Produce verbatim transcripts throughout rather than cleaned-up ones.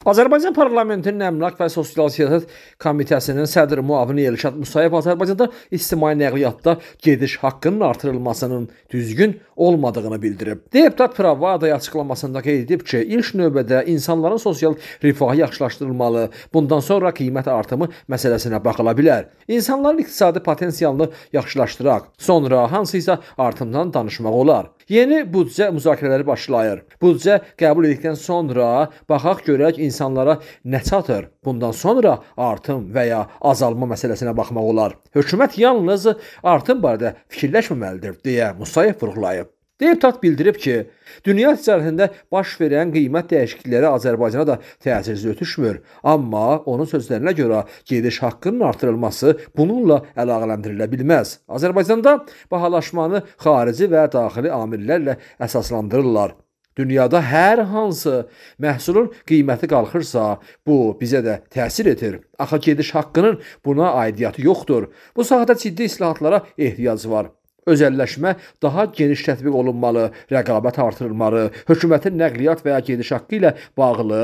Azərbaycan Parlamentinin Əmlak və Sosial Siyasət Komitəsinin sədri müavini Elşad Musayev Azərbaycanda ictimai nəqliyyatda gediş haqqının artırılmasının düzgün olmadığını bildirib. Deputat Pravdaya açıqlamasında qeyd edib ki, ilk növbədə insanların sosial rifahı yaxşılaşdırılmalı, bundan sonra qiymət artımı məsələsinə baxıla bilər. İnsanların iqtisadi potensialını yaxşılaşdıraq, sonra hansısa artımdan danışmaq olar. Yeni büdcə müzakirələri başlayır. Büdcə qəbul edildikdən sonra baxaq görək insanlara nə çatır. Bundan sonra artım və ya azalma məsələsinə baxmaq olar. Hökumət yalnız artım barədə fikirləşməməlidir, deyə Musayev vurğulayıb. Deputat bildirib ki, dünya ticarətində baş verən qiymət dəyişiklikləri Azərbaycana da təsirsiz ötüşmür. Amma onun sözlərinə görə gediş haqqının artırılması bununla əlaqələndirilə bilməz. Azərbaycanda bahalaşmanı xarici və daxili amillərlə əsaslandırırlar. Dünyada hər hansı məhsulun qiyməti qalxırsa, bu bizə də təsir edir. Axı gediş haqqının buna aidiyyatı yoxdur. Bu sahədə ciddi islahatlara ehtiyac var. Özəlləşmə daha geniş tətbiq olunmalı, rəqabət artırılmalı, hökumətin nəqliyyat və ya gediş haqqı ilə bağlı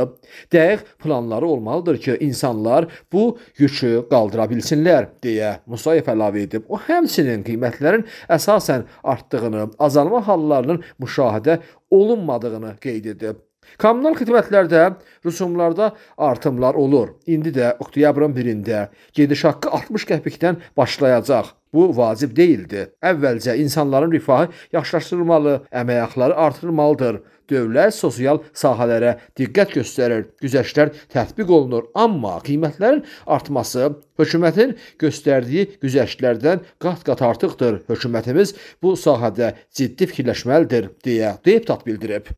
dəqiq planları olmalıdır ki, insanlar bu yükü qaldıra bilsinlər, deyə Musayev əlavə edib. O, həmçinin qiymətlərin əsasən artdığını, azalma hallarının müşahidə olunmadığını qeyd edib. Kommunal xidmətlərdə, rüsumlarda artımlar olur. İndi də oktyabrın birində gediş haqqı altmış qəpikdən başlayacaq. Bu vacib deyildi. Əvvəlcə insanların rifahı yaxşılaşdırılmalı, əmək haqları artırılmalıdır. Dövlət sosial sahələrə diqqət göstərir, güzəştlər tətbiq olunur. Amma qiymətlərin artması hökumətin göstərdiyi güzəştlərdən qat-qat artıqdır. Hökumətimiz bu sahədə ciddi fikirləşməlidir, deyə deputat bildirib.